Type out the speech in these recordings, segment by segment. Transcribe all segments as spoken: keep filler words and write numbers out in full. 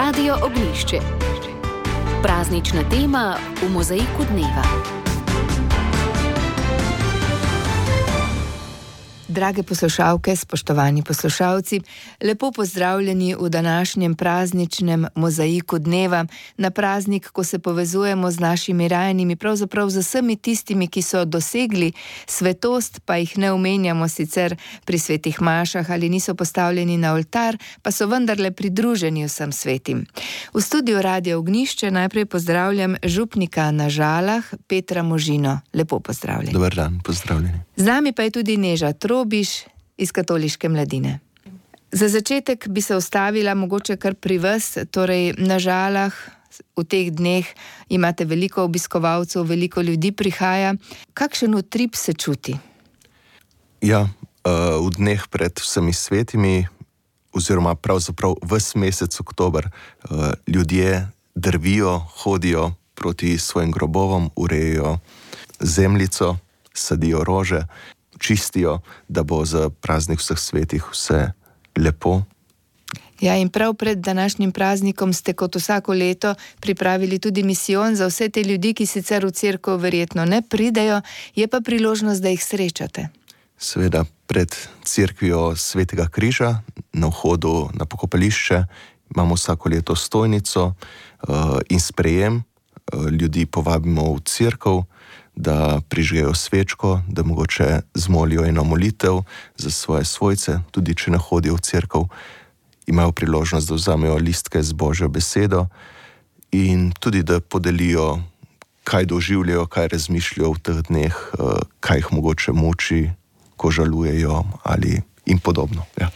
Radio Ognjišče. Praznična tema v mozaiku dneva. Drage poslušalke, spoštovani poslušalci, lepo pozdravljeni v današnjem prazničnem mozaiku dneva, na praznik, ko se povezujemo z našimi rajenimi, pravzaprav z vsemi tistimi, ki so dosegli svetost, pa jih ne omenjamo sicer pri svetih mašah ali niso postavljeni na oltar, pa so vendarle pridruženi vsem svetim. V studiu Radia Ognjišče najprej pozdravljam župnika na Žalah, Petra Možino. Lepo pozdravljeni. Dobar dan, pozdravljeni. Z nami pa je tudi Neža Trobiš iz Katoliške mladine. Za začetek bi se ustavila mogoče kar pri vas, torej na Žalah v teh dneh imate veliko obiskovalcev, veliko ljudi prihaja. Kakšen utrip se čuti? Ja, v dneh pred vsemi svetimi, oziroma pravzaprav ves mesec oktober, ljudje drvijo, hodijo proti svojim grobovom, urejajo zemljico, sadijo rože, čistijo, da bo za praznik vseh svetih vse lepo. Ja, in prav pred današnjim praznikom ste kot vsako leto pripravili tudi misijon za vse te ljudi, ki sicer v cerkev verjetno ne pridejo, je pa priložnost, da jih srečate. Seveda, pred cerkvijo Svetega križa na vhodu na pokopališče imamo vsako leto stojnico uh, in sprejem. Uh, ljudi povabimo v cerkev, da prižgejo svečko, da mogoče zmolijo eno molitev za svoje svojce, tudi če ne hodijo v cerkev, imajo priložnost, da vzamejo listke z Božjo besedo in tudi, da podelijo, kaj doživljajo, kaj razmišljajo v teh dneh, kaj jih mogoče muči, ko žalujejo ali in podobno. Ja.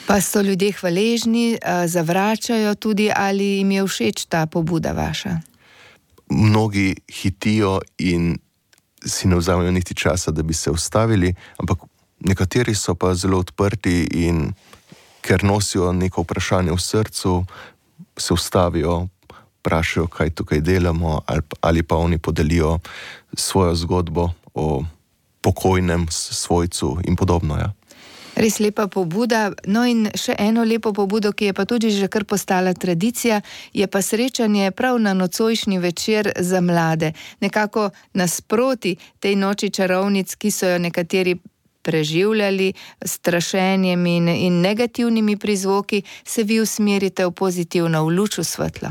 Pa so ljudje hvaležni, zavračajo tudi, ali jim je všeč ta pobuda vaša? Mnogi hitijo in si ne vzamejo niti časa, da bi se ustavili, ampak nekateri so pa zelo odprti in ker nosijo neko vprašanje v srcu, se ustavijo, vprašajo, kaj tukaj delamo, ali pa oni podelijo svojo zgodbo o pokojnem svojcu in podobno. Ja. Res lepa pobuda. No in še eno lepo pobudo, ki je pa tudi že kar postala tradicija, je pa srečanje prav na nocojšnji večer za mlade. Nekako nasproti tej noči čarovnic, ki so jo nekateri preživljali s strašenjem in, in negativnimi prizvoki, se vi usmerite v pozitivno, v luč, v svetlo.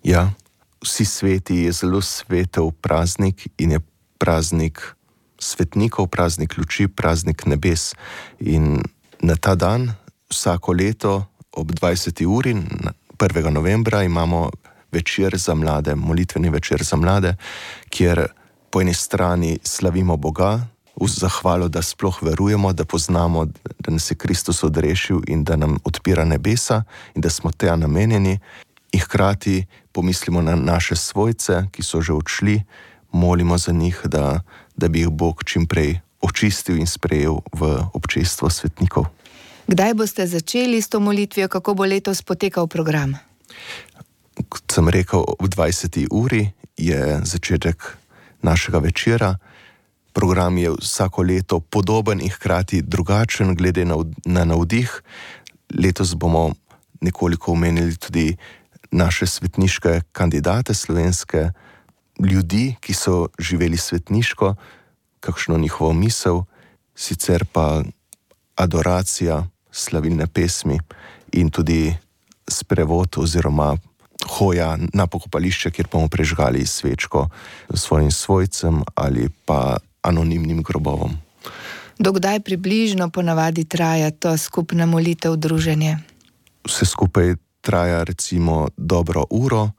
Ja, vsi sveti je zelo svetel praznik in je praznik svetnikov, praznik luči, praznik nebes. In na ta dan, vsako leto ob dvajseti uri, prvega novembra, imamo večer za mlade, molitveni večer za mlade, kjer po eni strani slavimo Boga, v zahvalo, da sploh verujemo, da poznamo, da nas je Kristus odrešil in da nam odpira nebesa in da smo tja namenjeni, in hkrati pomislimo na naše svojce, ki so že odšli, molimo za njih, da, da bi jih Bog čim prej očistil in sprejel v občestvo svetnikov. Kdaj boste začeli s to molitvijo, kako bo letos potekal program? Kot sem rekel, ob dvajseti uri je začetek našega večera. Program je vsako leto podoben in hkrati drugačen glede na, na navdih. Letos bomo nekoliko omenili tudi naše svetniške kandidate slovenske, ljudi, ki so živeli svetniško, kakšno njihovo misel, sicer pa adoracija, slavilne pesmi in tudi sprevod oziroma hoja na pokopališče, kjer bomo prežgali svečko svojim svojcem ali pa anonimnim grobovom. Dokdaj približno ponavadi traja to skupna molitev, druženje? Vse skupaj traja recimo dobro uro,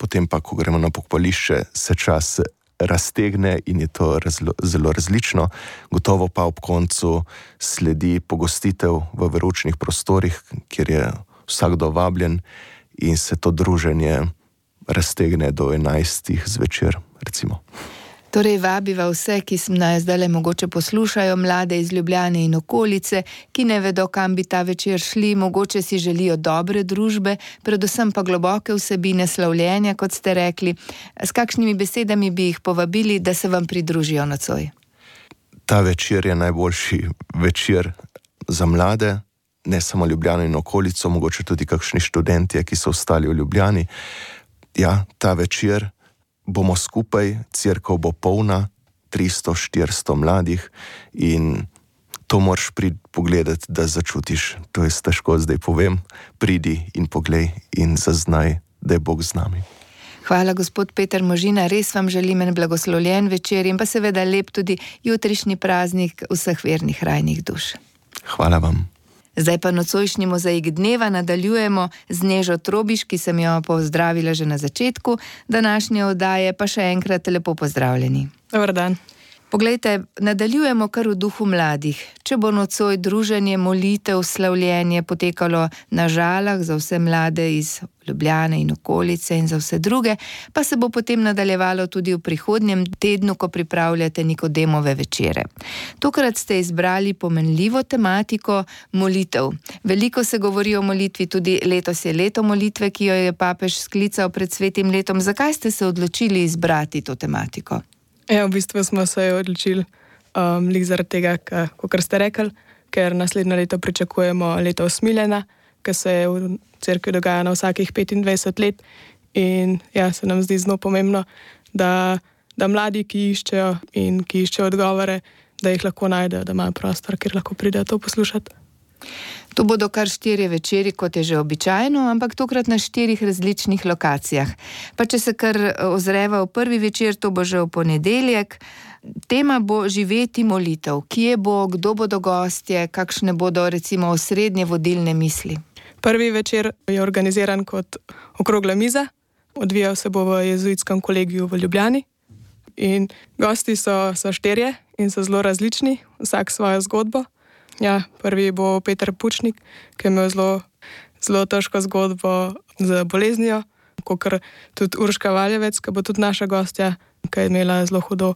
potem pa, ko gremo na pokopališče, se čas raztegne in je to razlo, zelo različno. Gotovo pa ob koncu sledi pogostitev v veroučnih prostorih, kjer je vsakdo vabljen in se to druženje raztegne do enajstih zvečer, recimo. Torej vabiva vse, ki nas zdajle mogoče poslušajo, mlade iz Ljubljane in okolice, ki ne vedo, kam bi ta večer šli, mogoče si želijo dobre družbe, predvsem pa globoke vsebine slavljenja, kot ste rekli. S kakšnimi besedami bi jih povabili, da se vam pridružijo nocoj? Ta večer je najboljši večer za mlade, ne samo Ljubljano in okolico, mogoče tudi kakšni študentje, ki so ostali v Ljubljani. Ja, ta večer bomo skupaj, cerkev bo polna, tristo, štiristo mladih in to moraš priti pogledati, da začutiš. To je težko zdaj povem. Pridi in poglej in zaznaj, da je Bog z nami. Hvala, gospod Peter Možina, res vam želim en blagoslovljen večer in pa seveda lep tudi jutrišnji praznik vseh vernih rajnih duš. Hvala vam. Zdaj pa nocojšnji mozaik dneva nadaljujemo z Nežo Trobiš, ki sem jo pozdravila že na začetku današnje oddaje, pa še enkrat lepo pozdravljeni. Dobar dan. Poglejte, nadaljujemo kar v duhu mladih. Če bo nocoj druženje, molitev, slavljenje potekalo na Žalah za vse mlade iz Ljubljane in okolice in za vse druge, pa se bo potem nadaljevalo tudi v prihodnjem tednu, ko pripravljate Nikodemove večere. Tokrat ste izbrali pomenljivo tematiko molitev. Veliko se govori o molitvi, tudi letos je leto molitve, ki jo je papež sklical pred svetim letom. Zakaj ste se odločili izbrati to tematiko? Ja, v bistvu smo se odločili um, lih zaradi tega, kot ste rekli, ker naslednje leto pričakujemo leto usmiljenja, ki se v cerkvi dogaja na vsakih petindvajset let in ja, se nam zdi zelo pomembno, da, da mladi, ki iščejo in ki iščejo odgovore, da jih lahko najdejo, da imajo prostor, kjer lahko pridejo to poslušati. To bodo kar štirje večeri, kot je že običajno, ampak tokrat na štirih različnih lokacijah. Pa če se kar ozreva v prvi večer, to bo že v ponedeljek. Tema bo živeti molitev. Kje bo, kdo bodo gostje, kakšne bodo recimo osrednje vodilne misli? Prvi večer je organiziran kot okrogla miza, odvijal se bo v jezuitskem kolegiju v Ljubljani in gosti so, so štirje in so zelo različni, vsak svojo zgodbo. Ja, prvi bo Peter Pučnik, ki je imel zelo, zelo težko zgodbo z boleznijo, kakor tudi Urška Valjevec, ki bo tudi naša gostja, ki je imela zelo hudo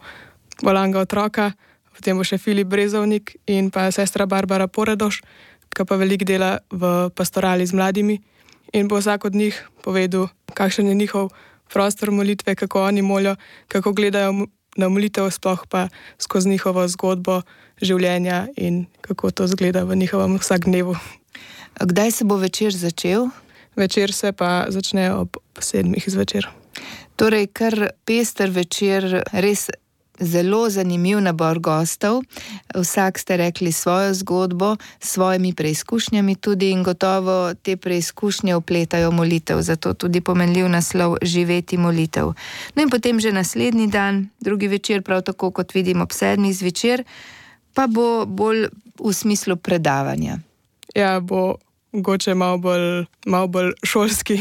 bolanga otroka, potem bo še Filip Brezovnik in pa sestra Barbara Poredoš, ki pa veliko dela v pastorali z mladimi in bo vsak od njih povedal, kakšen je njihov prostor molitve, kako oni molijo, kako gledajo na molitev, sploh pa skozi njihovo zgodbo življenja in kako to zgleda v njihovem vsakdnevu. Kdaj se bo večer začel? Večer se pa začne ob sedmih zvečer. Torej, kar pester večer, res zelo zanimiv nabor gostov. Vsak ste rekli svojo zgodbo, s svojimi preizkušnjami tudi in gotovo te preizkušnje opletajo molitev, zato tudi pomenljiv naslov živeti molitev. No in potem že naslednji dan, drugi večer, prav tako kot vidim ob sedmih zvečer, pa bo bolj v smislu predavanja. Ja, bo mogoče malo bolj, malo bolj šolski,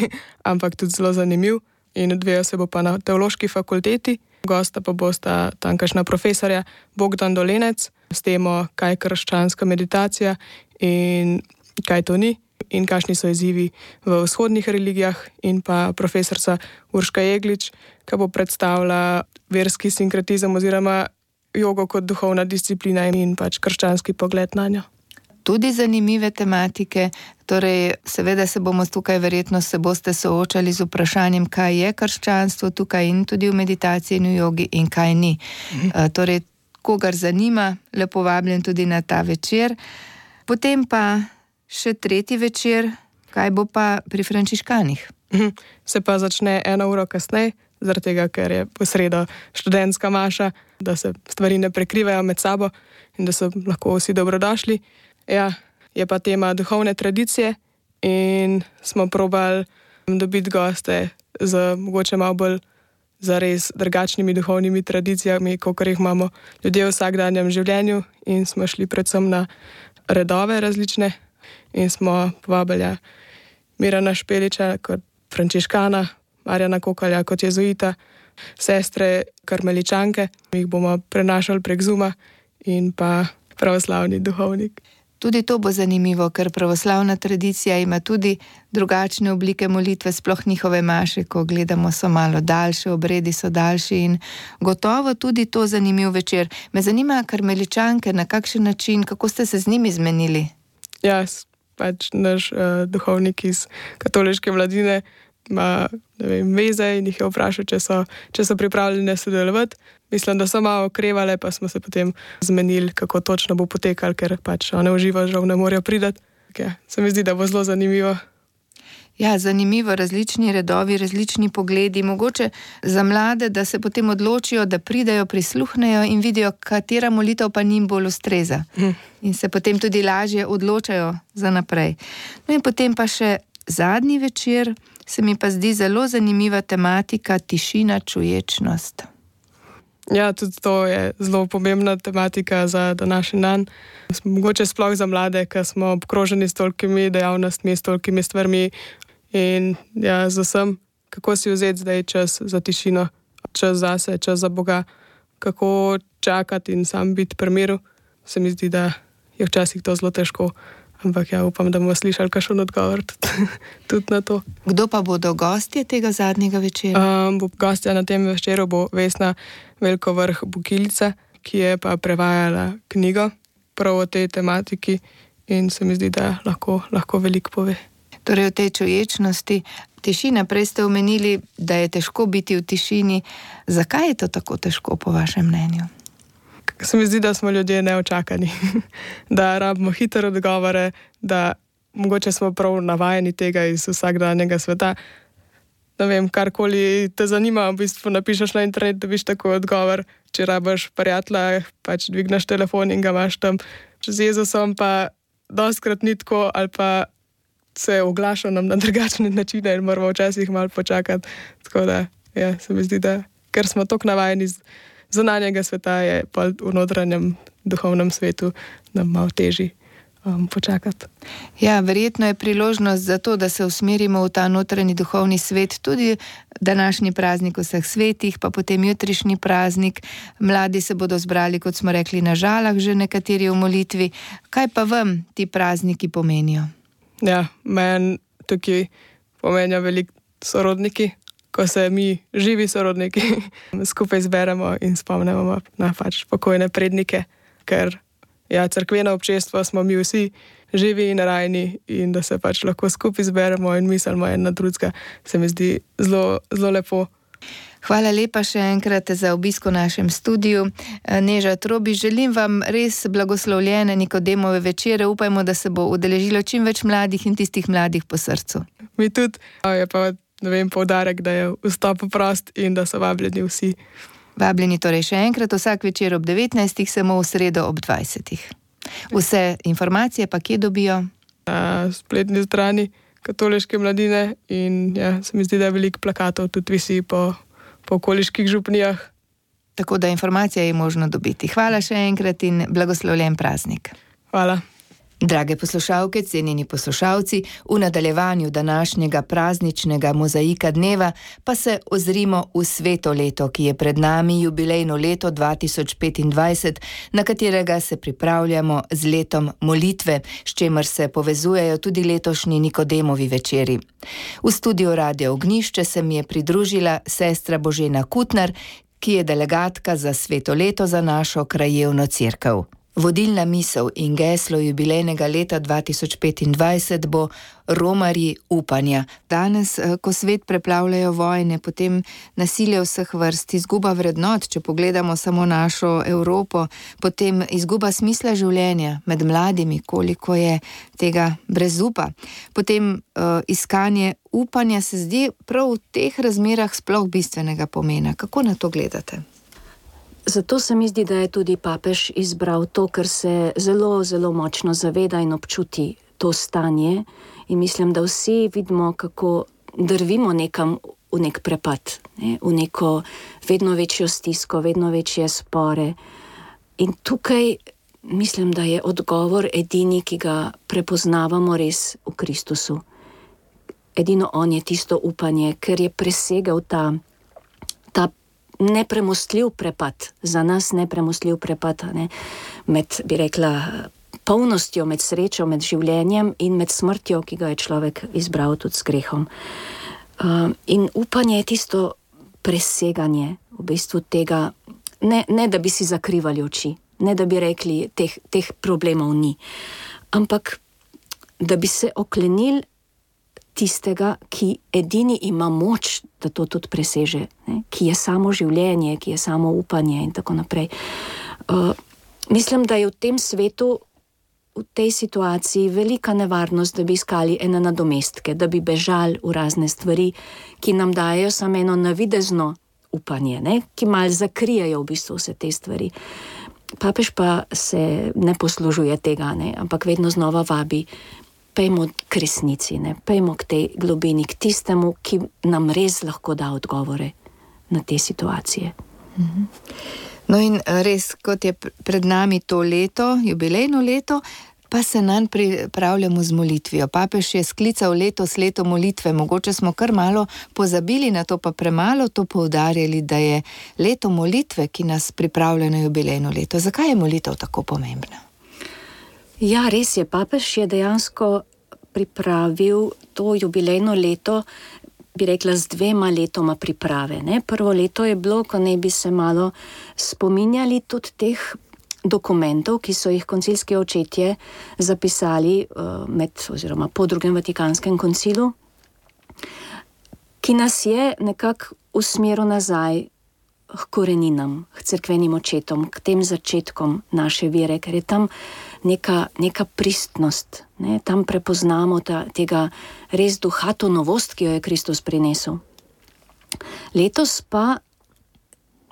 ampak tudi zelo zanimiv in odvija se bo pa na teološki fakulteti. Gosta pa bosta tamkajšnja profesorja Bogdan Dolenec s temo, kaj je krščanska meditacija in kaj to ni in kakšni so izzivi v vzhodnih religijah, in pa profesorca Urška Jeglič, ki bo predstavila verski sinkretizem oziroma jogo kot duhovna disciplina in pač krščanski pogled na njo. Tudi zanimive tematike, torej seveda se bomo tukaj verjetno se boste soočali z vprašanjem, kaj je krščanstvo tukaj in tudi v meditaciji in v jogi in kaj ni. Mhm. Uh, torej, kogar zanima, lepo vabljen tudi na ta večer. Potem pa še tretji večer, kaj bo pa pri frančiškanih? Mhm. Se pa začne eno uro kasneje, zaradi tega, ker je po sredo študentska maša, da se stvari ne prekrivajo med sabo in da so lahko vsi dobrodošli. Ja, je pa tema duhovne tradicije in smo probali dobiti goste z mogoče malo bolj zares drugačnimi duhovnimi tradicijami, kakor jih imamo ljudje v vsakdanjem življenju, in smo šli predvsem na redove različne in smo povabili Mirana Špeliča kot frančiškana, Marjana Kokalja kot jezuita, sestre karmeličanke, jih bomo prenašali prek Zooma, in pa pravoslavni duhovnik. Tudi to bo zanimivo, ker pravoslavna tradicija ima tudi drugačne oblike molitve, sploh njihove maše, ko gledamo, so malo daljše, obredi so daljši in gotovo tudi to zanimiv večer. Me zanima karmeličanke, na kakšen način, kako ste se z njimi zmenili? Ja, pač naš uh, duhovnik iz katoliške mladine ima, ne vem, veze in jih je vprašal, če so, če so pripravljene sodelovati. Mislim, da so malo okrevale, pa smo se potem zmenili, kako točno bo potekal, ker pač one v živo žal ne morejo priti, Ja, se mi zdi, da bo zelo zanimivo. Ja, zanimivo, različni redovi, različni pogledi, mogoče za mlade, da se potem odločijo, da pridejo, prisluhnejo in vidijo, katera molitev pa njim bolj ustreza. Hm. In se potem tudi lažje odločajo za naprej. No in potem pa še zadnji večer, se mi pa zdi zelo zanimiva tematika tišina, čuječnost. Ja, tudi to je zelo pomembna tematika za današnji dan. Mogoče sploh za mlade, ker smo obkroženi s tolikimi dejavnostmi, s tolikimi stvarmi in ja, z vsem, kako si vzeti zdaj čas za tišino, čas zase, čas za Boga, kako čakati in sam biti pri miru. Se mi zdi, da je včasih to zelo težko, ampak ja, upam, da bomo slišali kakšen odgovor tudi, tudi na to. Kdo pa bodo gostje tega zadnjega večera? Um, gostja na tem večeru bo Vesna Velkovrh-Bukilica, ki je pa prevajala knjigo prav o tej tematiki in se mi zdi, da lahko, lahko veliko pove. Torej o tej čuječnosti. Tišina, prej ste omenili, da je težko biti v tišini. Zakaj je to tako težko, po vašem mnenju? Se mi zdi, da smo ljudje neočakani, da rabimo hitre odgovore, da mogoče smo prav navajeni tega iz vsakdanjega sveta. Ne vem, karkoli te zanima, v bistvu napišeš na internet, dobiš tako odgovor. Če rabiš prijatelja, pač dvigneš telefon in ga imaš tam. Z Jezusom pa dostkrat ni tako, ali pa se oglaša nam na drugačne načine in moramo včasih malo počakati. Tako da, ja, se mi zdi, da ker smo toliko navajeni z zunanjega sveta, je pa v notranjem duhovnem svetu nam malo težji um, počakati. Ja, verjetno je priložnost za to, da se usmerimo v ta notranji duhovni svet, tudi današnji praznik vseh svetih, pa potem jutrišnji praznik. Mladi se bodo zbrali, kot smo rekli, na Žalah, že nekateri v molitvi. Kaj pa vam ti prazniki pomenijo? Ja, meni tukaj pomenijo veliko sorodniki, ko se mi, živi sorodniki, skupaj zberemo in spomnimo na pač pokojne prednike, ker ja, cerkveno občestvo smo mi vsi živi in rajni in da se pač lahko skupaj zberemo in mislimo en na drugega, se mi zdi zelo, zelo lepo. Hvala lepa še enkrat za obisk v našem studiu. Neža Trobič, želim vam res blagoslovljene Nikodemove večere. Upajmo, da se bo udeležilo čim več mladih in tistih mladih po srcu. Mi tudi. Je pa, ne vem, poudarek, da je vstop prost in da so vabljeni vsi. Vabljeni torej še enkrat vsak večer ob devetnajstih, samo v sredo ob dvajsetih. Vse informacije pa kje dobijo? Na spletni strani Katoliške mladine in ja, se mi zdi, da je veliko plakatov tudi visi po po okoliških župnijah. Tako da informacija je možno dobiti. Hvala še enkrat in blagoslovljen praznik. Hvala. Drage poslušalke, cenjeni poslušalci, v nadaljevanju današnjega prazničnega mozaika dneva pa se ozrimo v sveto leto, ki je pred nami, jubilejno leto dva tisoč petindvajset, na katerega se pripravljamo z letom molitve, s čemer se povezujejo tudi letošnji Nikodemovi večeri. V studiu Radia Ognjišče se mi je pridružila sestra Božena Kutnar, ki je delegatka za sveto leto za našo krajevno cerkev. Vodilna misel in geslo jubilejnega leta dva tisoč petindvajset bo romarji upanja. Danes, ko svet preplavljajo vojne, potem nasilje vseh vrst, izguba vrednot, če pogledamo samo našo Evropo, potem izguba smisla življenja med mladimi, koliko je tega brezupa. Potem uh, iskanje upanja se zdi prav v teh razmerah sploh bistvenega pomena. Kako na to gledate? Zato se mi zdi, da je tudi papež izbral to, ker se zelo, zelo močno zaveda in občuti to stanje in mislim, da vsi vidimo, kako drvimo nekam v nek prepad, ne? V neko vedno večjo stisko, vedno večje spore. In tukaj mislim, da je odgovor edini, ki ga prepoznavamo res v Kristusu. Edino on je tisto upanje, ker je presegal ta, ta nepremostljiv prepad, za nas nepremostljiv prepad, ne? Med, bi rekla, polnostjo, med srečo, med življenjem in med smrtjo, ki ga je človek izbral tudi s grehom. Uh, in upanje je tisto preseganje v bistvu tega, ne, ne da bi si zakrivali oči, ne da bi rekli, teh, teh problemov ni, ampak da bi se oklenili tistega, ki edini ima moč, da to tudi preseže, ne? Ki je samo življenje, ki je samo upanje in tako naprej. Uh, mislim, da je v tem svetu v tej situaciji velika nevarnost, da bi iskali ene nadomestke, da bi bežali v razne stvari, ki nam dajo samo eno navidezno upanje, ne? Ki malo zakrijajo v bistvu vse te stvari. Papež pa se ne poslužuje tega, ne? Ampak vedno znova vabi, pejmo k resnici, ne? Pejmo k tej globini, k tistemu, ki nam res lahko da odgovore na te situacije. Mhm. No in res, kot je pred nami to leto, jubilejno leto, pa se nanj pripravljamo z molitvijo. Papež je sklical letos leto molitve, mogoče smo kar malo pozabili na to, pa premalo to poudarjali, da je leto molitve, ki nas pripravlja na jubilejno leto. Zakaj je molitev tako pomembna? Ja, res je, papež je dejansko pripravil to jubilejno leto, bi rekla, z dvema letoma priprave. Ne? Prvo leto je bilo, ko ne bi se malo spominjali tudi teh dokumentov, ki so jih koncilski očetje zapisali uh, med, oziroma po drugem Vatikanskem koncilu, ki nas je nekako usmeril nazaj k koreninam, k cerkvenim očetom, k tem začetkom naše vere, ker je tam neka, neka pristnost, ne? Tam prepoznamo ta, tega res duha, to novost, ki jo je Kristus prinesel. Letos pa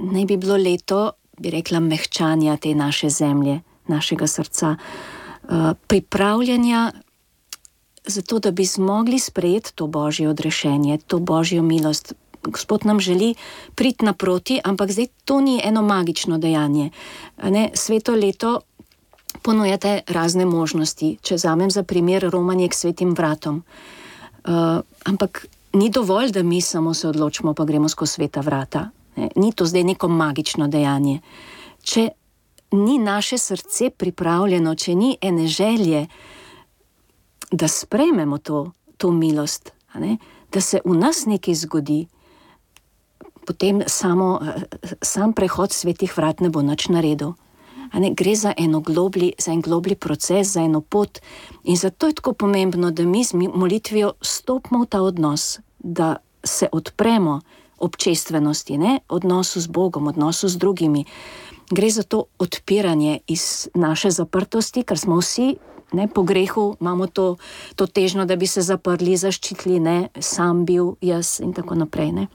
naj bi bilo leto, bi rekla, mehčanja te naše zemlje, našega srca, uh, pripravljanja zato, da bi zmogli sprejeti to Božje odrešenje, to Božjo milost. Gospod nam želi priti naproti, ampak zdaj to ni eno magično dejanje. Ne? Sveto leto ponujate razne možnosti. Če vzamem za primer romanje k svetim vratom. Uh, ampak ni dovolj, da mi samo se odločimo, pa gremo skozi sveta vrata. Ne? Ni to zdaj neko magično dejanje. Če ni naše srce pripravljeno, če ni ene želje, da sprejmemo to, to milost, ne? Da se v nas nekaj zgodi, potem samo, sam prehod svetih vrat ne bo nič naredil. Ne, gre za, eno globli, za en globli proces, za eno pot, in zato je tako pomembno, da mi z molitvijo stopimo v ta odnos, da se odpremo občestvenosti, ne? Odnosu z Bogom, odnosu z drugimi. Gre za to odpiranje iz naše zaprtosti, ker smo vsi, ne, po grehu imamo to, to težnjo, da bi se zaprli, zaščitili, ne, sam bil, jaz in tako naprej. Ne?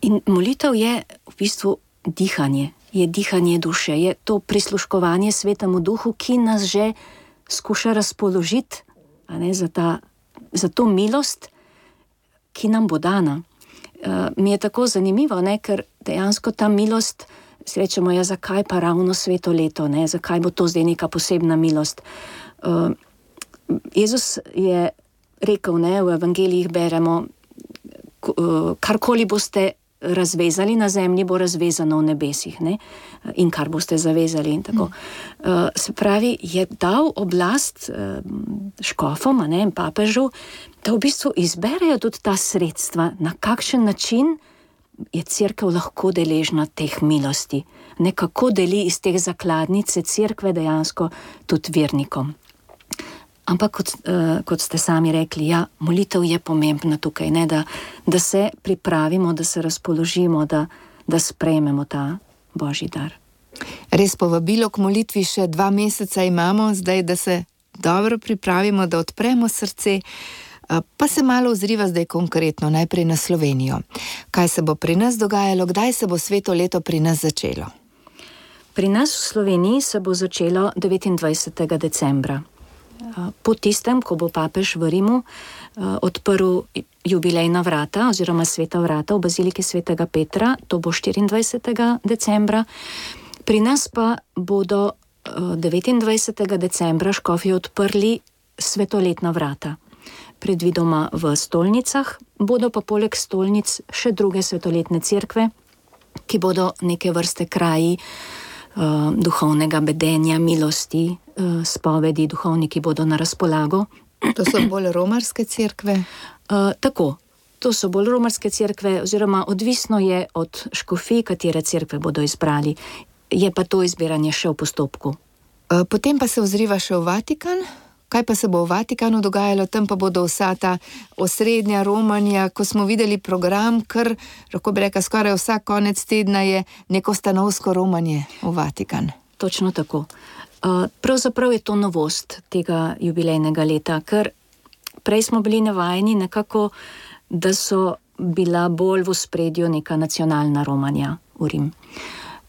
In molitev je v bistvu dihanje, je dihanje duše, je to prisluškovanje Svetemu Duhu, ki nas že skuša razpoložiti, a ne, za, ta, za to milost, ki nam bo dana. Uh, mi je tako zanimivo, ne, ker dejansko ta milost, srečemo, ja, zakaj pa ravno sveto leto, ne, zakaj bo to zdaj neka posebna milost. Uh, Jezus je rekel, ne, v evangelijih beremo, uh, karkoli boste razvezali na zemlji, bo razvezano v nebesih, ne? In kar boste zavezali in tako. Uh, se pravi, je dal oblast uh, škofom, ne, in papežu, da v bistvu izberejo tudi ta sredstva, na kakšen način je cerkev lahko deležna teh milosti. Nekako deli iz teh zakladnice cerkve dejansko tudi vernikom. Ampak, kot, uh, kot ste sami rekli, ja, molitev je pomembna tukaj, ne, da, da se pripravimo, da se razpoložimo, da, da sprejmemo ta Božji dar. Res povabilo k molitvi še dva meseca imamo, zdaj, da se dobro pripravimo, da odpremo srce, pa se malo ozriva zdaj konkretno, najprej na Slovenijo. Kaj se bo pri nas dogajalo, kdaj se bo sveto leto pri nas začelo? Pri nas v Sloveniji se bo začelo devetindvajsetega decembra. Po tistem, ko bo papež v Rimu odprl jubilejna vrata oziroma sveta vrata v baziliki svetega Petra, to bo štiriindvajsetega decembra. Pri nas pa bodo devetindvajsetega decembra škofje odprli svetoletna vrata. Predvidoma v stolnicah, bodo pa poleg stolnic še druge svetoletne cerkve, ki bodo neke vrste kraji uh, duhovnega bedenja, milosti, uh, spovedi, duhovniki bodo na razpolago. To so bolj romarske cerkve? Uh, tako, to so bolj romarske cerkve, oziroma odvisno je od škofij, katere cerkve bodo izbrali. Je pa to izbiranje še v postopku. Uh, potem pa se ozriva še v Vatikan. Kaj pa se bo v Vatikanu dogajalo, tam pa bodo vsa ta osrednja romanja, ko smo videli program, kar, lahko bi rekla, skoraj vsak konec tedna je neko stanovsko romanje v Vatikan. točno tako. Uh, pravzaprav je to novost tega jubilejnega leta, ker prej smo bili navajeni nekako, da so bila bolj v ospredju neka nacionalna romanja v Rim.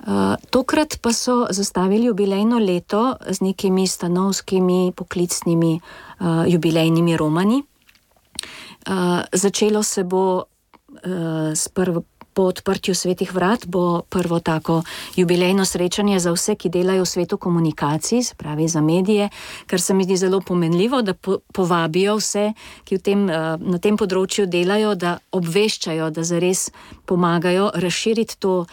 Uh, tokrat pa so zastavili jubilejno leto z nekimi stanovskimi, poklicnimi uh, jubilejnimi romanji. Uh, začelo se bo uh, s prvo, po odprtju Svetih vrat, bo prvo tako jubilejno srečanje za vse, ki delajo v svetu komunikacij, se pravi za medije, kar se mi zdi zelo pomenljivo, da po, povabijo vse, ki v tem, uh, na tem področju delajo, da obveščajo, da zares pomagajo razširiti to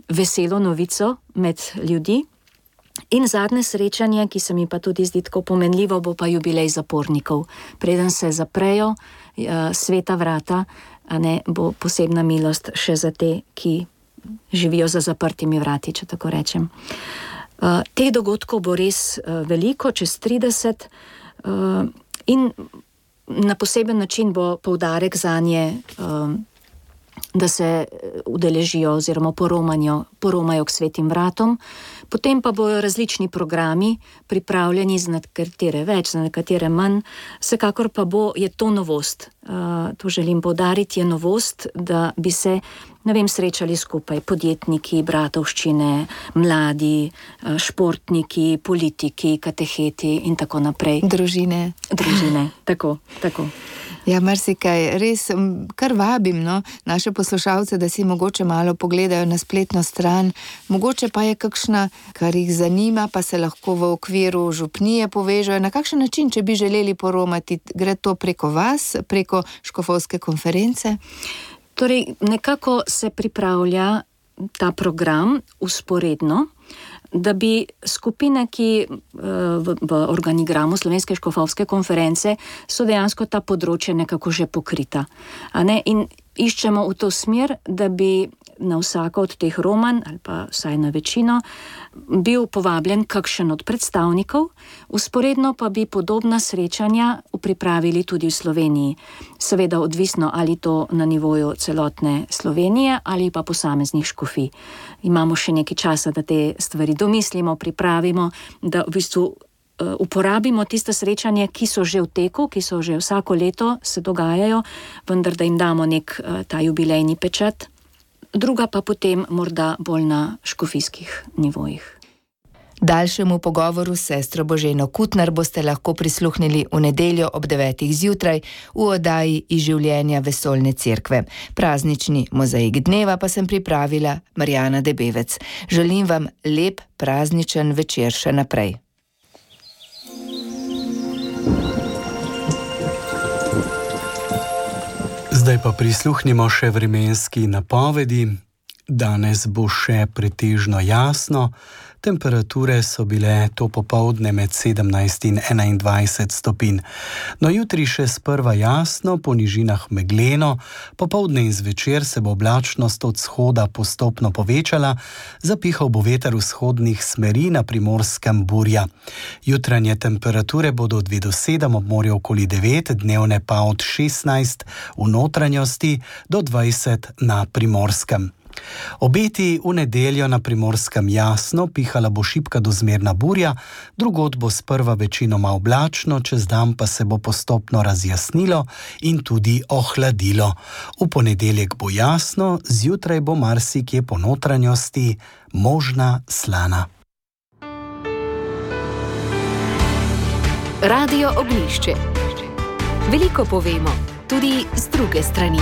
veselo novico med ljudi. In zadnje srečanje, ki se mi pa tudi zdi tako pomenljivo, bo pa jubilej zapornikov. Preden se zaprejo uh, sveta vrata, a ne, bo posebna milost še za te, ki živijo za zaprtimi vrati, če tako rečem. Uh, teh dogodkov bo res uh, veliko, čez trideset, uh, in na poseben način bo poudarek zanje, uh, da se udeležijo oziroma poromajo k svetim vratom. Potem pa bojo različni programi pripravljeni, za nekatere več, za nekatere manj. Vsekakor pa bo, je to novost. Uh, to želim poudariti, je novost, da bi se, ne vem, srečali skupaj podjetniki, bratovščine, mladi, športniki, politiki, kateheti in tako naprej. Družine. Družine, tako, tako. Ja, marsikaj, res kar vabim, no, naše poslušalce, da si mogoče malo pogledajo na spletno stran, mogoče pa je kakšna, kar jih zanima, pa se lahko v okviru župnije povežejo. Na kakšen način, če bi želeli poromati, gre to preko vas, preko škofovske konference? Torej, nekako se pripravlja ta program usporedno, da bi skupine, ki v, v organigramu Slovenske škofovske konference so dejansko ta področja nekako že pokrita. A ne? In iščemo v to smer, da bi na vsako od teh romanj, ali pa vsaj na večino, bil povabljen kakšen od predstavnikov, usporedno pa bi podobna srečanja pripravili tudi v Sloveniji. Seveda odvisno, ali to na nivoju celotne Slovenije ali pa posameznih škofij. Imamo še nekaj časa, da te stvari domislimo, pripravimo, da v bistvu uporabimo tiste srečanja, ki so že v teku, ki so že vsako leto se dogajajo, vendar da jim damo nek ta jubilejni pečat. Druga pa potem morda bolj na škofijskih nivojih. Daljšemu pogovoru s sestro Boženo Kutnar boste lahko prisluhnili v nedeljo ob devetih zjutraj v oddaji Iz življenja vesoljne cerkve. Praznični mozaik dneva pa sem pripravila Marjana Debevec. Želim vam lep prazničen večer še naprej. Zdaj pa prisluhnimo še vremenski napovedi. Danes bo še pretežno jasno. Temperature so bile to popoldne med sedemnajst in enaindvajset stopinj. No, jutri še sprva jasno, po nižinah megleno, popoldne in zvečer se bo oblačnost od vzhoda postopno povečala, zapihal bo veter vzhodnih smeri, na Primorskem burja. Jutranje temperature bodo od dve do sedem, ob morju okoli devet, dnevne pa od šestnajst v notranjosti do dvajset na Primorskem. Obeti v nedeljo na Primorskem jasno, pihala bo šibka do zmerna burja, drugod bo sprva večinoma oblačno, čez dan pa se bo postopno razjasnilo in tudi ohladilo. V ponedeljek bo jasno, zjutraj bo marsikje po notranjosti možna slana. Radio Oglišče. Veliko povemo, tudi z druge strani.